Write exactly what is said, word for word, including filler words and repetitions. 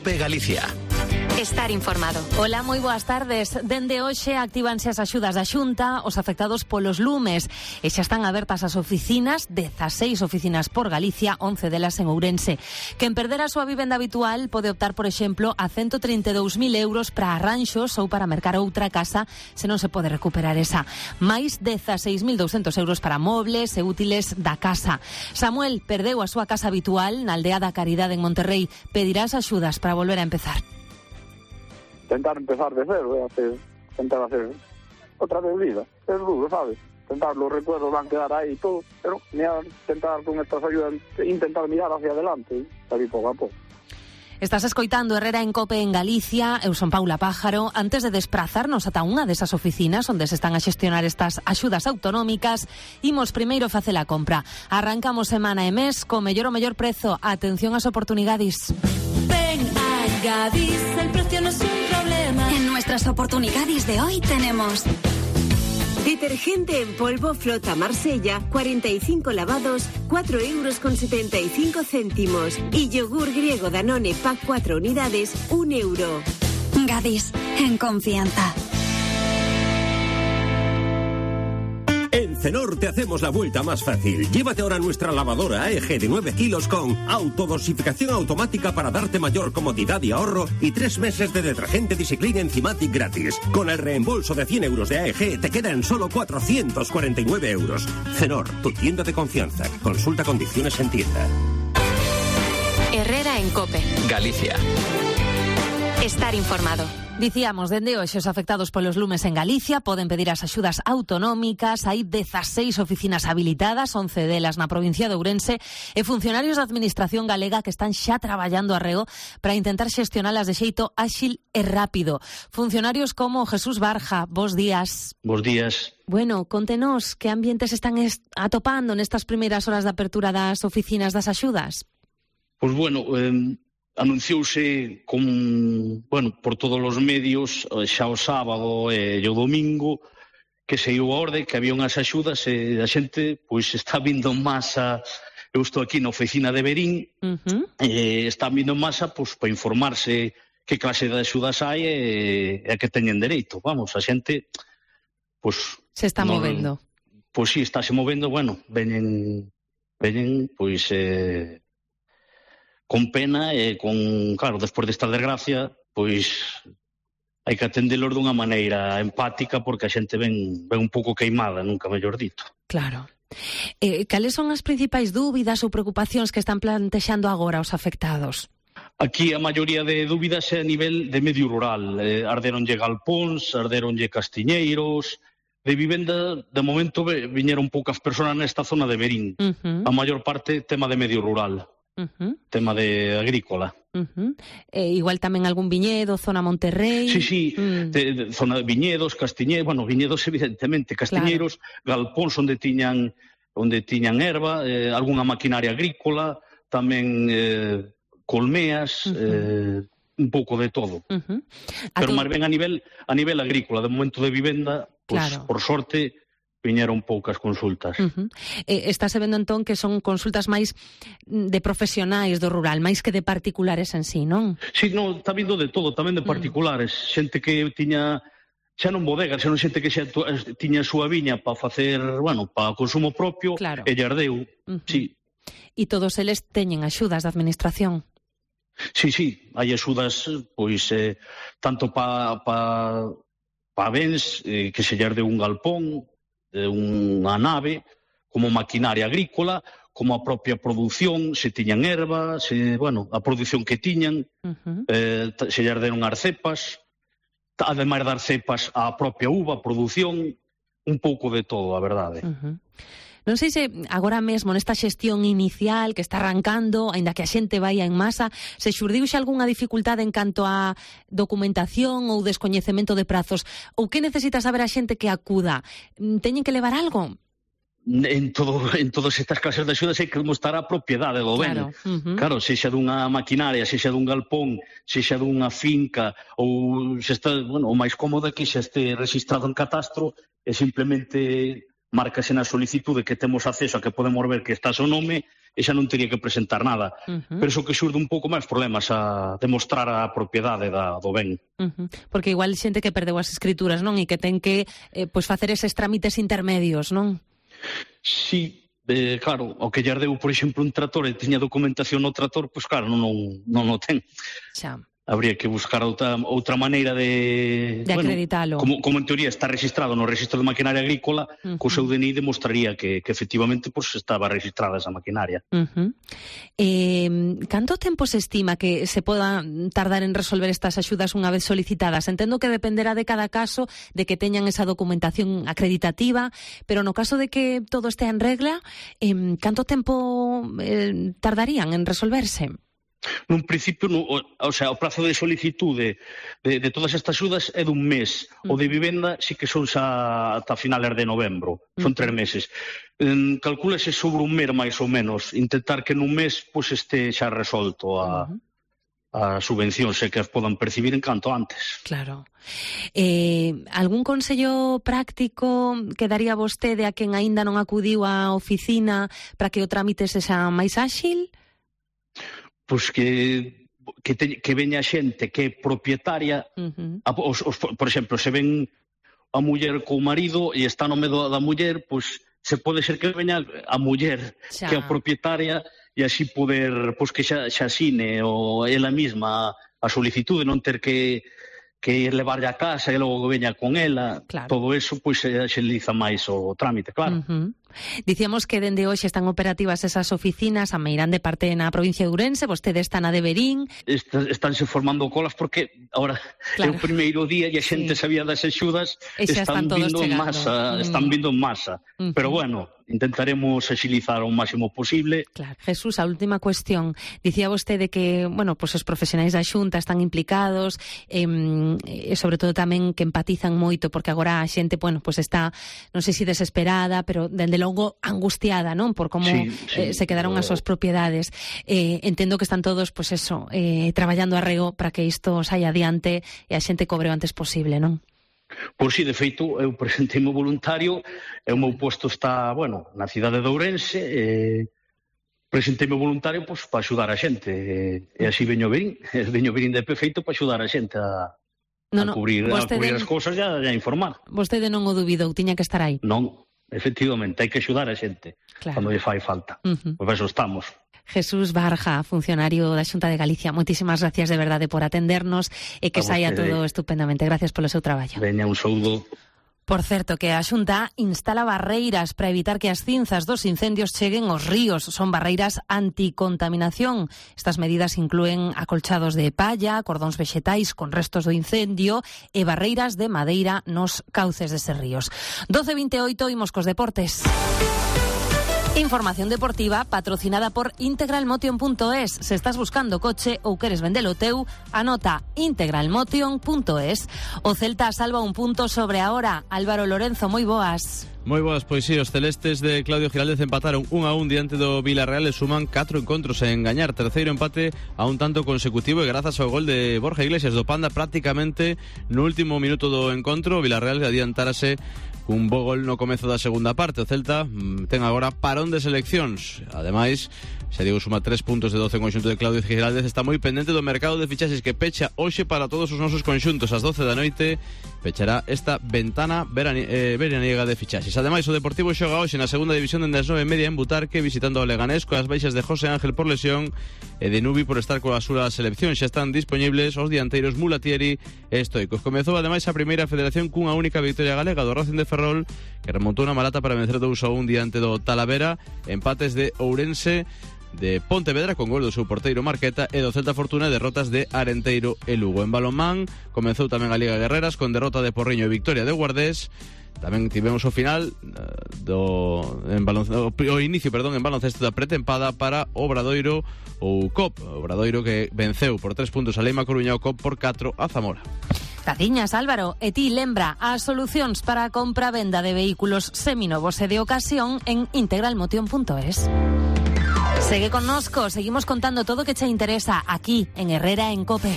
COPE Galicia. Estar informado. Hola, moi boas tardes. Dende hoxe actívanse as axudas da Xunta os afectados polos lumes e xa están abertas as oficinas, dezaseis oficinas por Galicia, once delas en Ourense. Quen perdera a súa vivenda habitual pode optar, por exemplo, a ciento treinta e dous mil euros para arranxos ou para mercar outra casa se non se pode recuperar esa. Mais dezaseis mil douscentos euros para mobles e útiles da casa. Samuel perdeu a súa casa habitual na aldea da Caridade en Monterrey. Pedirá as axudas para volver a empezar. Tentar empezar de cero, eh, hacer, tentar hacer otra vez vida, es duro, ¿sabes? Tentar, los recuerdos van a quedar ahí y todo, pero mirar, tentar con estas ayudas, intentar mirar hacia adelante, salir poco a poco. Estás escoitando Herrera en COPE en Galicia. Eu son Paula Pájaro. Antes de desplazarnos ata unha desas oficinas onde se están a xestionar estas axudas autonómicas, imos primeiro facer a compra. Arrancamos semana e mes co mellor o mellor prezo. Atención ás oportunidades. Ven a Gadis, el precio no es un problema. En nuestras oportunidades de hoy tenemos detergente en polvo Flota Marsella, cuarenta y cinco lavados, cuatro euros con setenta y cinco céntimos. Y yogur griego Danone Pack cuatro unidades, un euro. Gadis, en confianza. En Cenor te hacemos la vuelta más fácil. Llévate ahora nuestra lavadora A E G de nueve kilos con autodosificación automática para darte mayor comodidad y ahorro y tres meses de detergente Discipline Enzymatic gratis. Con el reembolso de cien euros de A E G te queda en solo cuatrocientos cuarenta y nueve euros. Cenor, tu tienda de confianza. Consulta condiciones en tienda. Herrera en COPE Galicia. Estar informado. Dicíamos, dende hoxe os afectados polos lumes en Galicia poden pedir as axudas autonómicas. Hai dezaseis oficinas habilitadas, once delas na provincia de Ourense, e funcionarios da Administración galega que están xa traballando arreo para intentar xestionalas de xeito áxil e rápido. Funcionarios como Jesús Barja, bos días. Bos días. Bueno, contenos, que ambientes están atopando nestas primeiras horas de apertura das oficinas das axudas? Pois bueno, eh... anunciouse con, bueno, por todos os medios xa o sábado e o domingo que saiu a orde que había unhas axudas e a xente pois está vindo en masa. Eu estou aquí na oficina de Verín, uh-huh. e está vindo en masa pois para informarse que clase de axudas hai e, e a que teñen dereito. Vamos, a xente pois se está no, movendo. Pois si, sí, está se movendo, bueno, veñen veñen pois eh con pena e con, claro, despois desta desgracia, pois hai que atendelos dunha maneira empática porque a xente ven, ven un pouco queimada, nunca mellor dito. Claro. Eh, cales son as principais dúbidas ou preocupacións que están plantexando agora os afectados? Aquí a maioría de dúbidas é a nivel de medio rural. Eh, arderonlle galpóns, arderonlle castiñeiros. De vivenda, de momento, viñeron poucas persoas nesta zona de Verín. Uh-huh. A maior parte, tema de medio rural. Uh-huh. Tema de agrícola. Uh-huh. eh, igual tamén algún viñedo, zona Monterrey. Sí, sí, mm. de, de, zona de viñedos, castiñeiros, bueno, viñedos evidentemente, castiñeiros, claro. Galpóns onde tiñan onde tiñan erva, eh, algunha maquinaria agrícola, tamén eh, colmeas, uh-huh. eh, un pouco de todo. Uh-huh. Pero tu... máis ben a nivel a nivel agrícola, de momento de vivenda, pues, claro. Por sorte viñeron poucas consultas. Uh-huh. Eh, estáse vendo entón que son consultas máis de profesionais do rural, máis que de particulares en sí, non? Sí, non, está vindo de todo, tamén de particulares. Uh-huh. Xente que tiña, xa non bodegas, xa non xente que xa tiña a súa viña para facer, bueno, para consumo propio, claro. E lle ardeu, uh-huh. Sí. E todos eles teñen axudas da Administración? Sí, sí, hai axudas, pois, eh, tanto para pa, pa bens, eh, que se lle ardeu un galpón, unha nave, como maquinaria agrícola, como a propia produción, se tiñan erva, se, bueno, a produción que tiñan, uh-huh. eh, se lle arderon as cepas, ademais das cepas, a propia uva, a produción, un pouco de todo, a verdade. Uh-huh. Non sei se agora mesmo nesta xestión inicial que está arrancando, aínda que a xente vai en masa, se xurdiu xa algunha dificultade en canto a documentación ou descoñecemento de prazos, ou que necesita saber a xente que acuda? Teñen que levar algo? En, todo, en todas estas clases de axudas hai que demostrar a propiedade do ben. Claro, uh-huh. Claro, sexa dunha maquinaria, sexa dun galpón, sexa dunha finca, ou se está, bueno, o máis cómodo é que xa este registrado en catastro e simplemente marcase na solicitude que temos acceso a que podemos ver que está o seu nome e xa non teria que presentar nada. Uh-huh. Pero iso que xurde un pouco máis problemas a demostrar a propiedade da, do ben. Uh-huh. Porque igual xente que perdeu as escrituras, non? E que ten que eh, pois facer eses trámites intermedios, non? Sí, eh, claro, o que lle ardeu, por exemplo, un trator e tiña documentación no trator, pois claro, non, non, non o ten. Xa. Habría que buscar outra, outra maneira de... De bueno, acreditalo. Como, como en teoría está registrado no registro de maquinaria agrícola, uh-huh. co seu D N I demostraría que, que efectivamente pues, estaba registrada esa maquinaria. Uh-huh. Eh, canto tempo se estima que se poda tardar en resolver estas axudas unha vez solicitadas? Entendo que dependerá de cada caso, de que teñan esa documentación acreditativa, pero no caso de que todo estea en regla, eh, canto tempo eh, tardarían en resolverse? Nun principio, no, o, o sea, o prazo de solicitude de, de todas estas axudas é dun mes. Uh-huh. O de vivenda sí que son xa ata finales de novembro. Son uh-huh. tres meses. Um, calcúlese sobre un mes máis ou menos. Intentar que nun mes pues, este xa resolto a, uh-huh. a subvención, se que as podan percibir en canto antes. Claro. Eh, algún consello práctico que daría vostede a quen aínda non acudiu á oficina para que o trámite sexa máis áxil? Pois que que, te, que veña xente que é propietaria, uh-huh. a, os, os, por exemplo, se ven a muller co marido e está no medo da muller, pois se pode ser que veña a muller xa. Que é a propietaria e así poder, pois que xa, xa asine o ela mesma a solicitude, non ter que que ir levarlle a casa e logo veña con ela, claro. Todo eso pois se axiliza máis o trámite, claro. Uh-huh. Dicíamos que dende hoxe están operativas esas oficinas, a Meirán de parte na provincia de Ourense, vostede está na de Verín. Está, estánse formando colas porque ahora claro. É o primeiro día e a xente sí. Sabía das axudas, están, están vindo en masa, mm. están vindo en masa. Uh-huh. Pero bueno, intentaremos axilizar o máximo posible. Claro. Jesús, a última cuestión. Dicía vostede que, bueno, pues os profesionais da Xunta están implicados, eh, e sobre todo tamén que empatizan moito, porque agora a xente, bueno, pues está, non sei se desesperada, pero dende logo angustiada, non? Por como sí, sí, eh, se quedaron as súas propiedades. Eh, entendo que están todos, pues eso, eh, traballando arreo para que isto saia adiante e a xente cobre o antes posible, non? Por si, de feito, eu presentei-me voluntario, e o meu posto está, bueno, na cidade de Ourense, e presentei-me voluntario pois, para axudar a xente, e, e así veño Verín, veño Verín de perfeito para axudar a xente a, no, a, cubrir, no, a cubrir as cousas e a, a informar. Vostede non o dubidou, tiña que estar aí. Non, efectivamente, hai que axudar a xente, claro. Cando lle fai falta. Uh-huh. Pois eso estamos. Jesús Barja, funcionario da Xunta de Galicia, moitísimas gracias de verdade por atendernos e que saia todo estupendamente. Gracias polo seu traballo. Veña, un saúdo. Por certo, que a Xunta instala barreiras para evitar que as cinzas dos incendios cheguen aos ríos. Son barreiras anticontaminación. Estas medidas inclúen acolchados de palla, cordóns vexetais con restos do incendio e barreiras de madeira nos cauces deses ríos. doce vinte e oito, imos cos deportes. Información deportiva patrocinada por integralmotion punto es. Se estás buscando coche ou queres vendelo teu, anota integralmotion punto es. O Celta salva un punto sobre a hora. Álvaro Lorenzo, moi boas. Moi boas, pois sí, os celestes de Claudio Giraldez empataron un a un diante do Villarreal e suman catro encontros en gañar. Terceiro empate a un tanto consecutivo e grazas ao gol de Borja Iglesias do Panda prácticamente no último minuto do encontro. O Villarreal adiantárase un bo gol no comezo da segunda parte. O Celta mm, ten agora parón de seleccións. Ademais, xa digo, suma tres puntos de doce en conxunto de Claudio Giraldez. Está moi pendente do mercado de fichaxes que pecha hoxe para todos os nosos conxuntos. Ás doce da noite pechará esta ventana verani- eh, veraniega de fichaxes. Ademais, o Deportivo xoga hoxe na segunda división dende as nove e media en Butarque, visitando o Leganés, coas baixas de José Ángel por lesión e de Nubi por estar coa súa selección. Xa están disponibles os dianteiros Mulatieri e Stoicos. Comezou ademais a primeira federación cunha única victoria galega do Racing de Ferrol, que remontou na Malata para vencer dous a un diante do Talavera. Empates de Ourense, de Pontevedra con gol do seu porteiro Marqueta e do Celta Fortuna derrotas de Arenteiro e Lugo. En balonmán comezou tamén a Liga Guerreras con derrota de Porriño e victoria de Guardés. Tamén tivemos o final do en baloncesto, o inicio, perdón, en baloncesto da pretempada para Obradoiro ou C O P. Obradoiro que venceu por tres puntos a Leima Coruña, o C O P por catro a Zamora. Caciñas, Álvaro, e ti lembra as solucións para a compra-venda de vehículos seminovos e de ocasión en integralmotion punto es. Segue connosco, seguimos contando todo o que che interesa aquí en Herrera en COPE.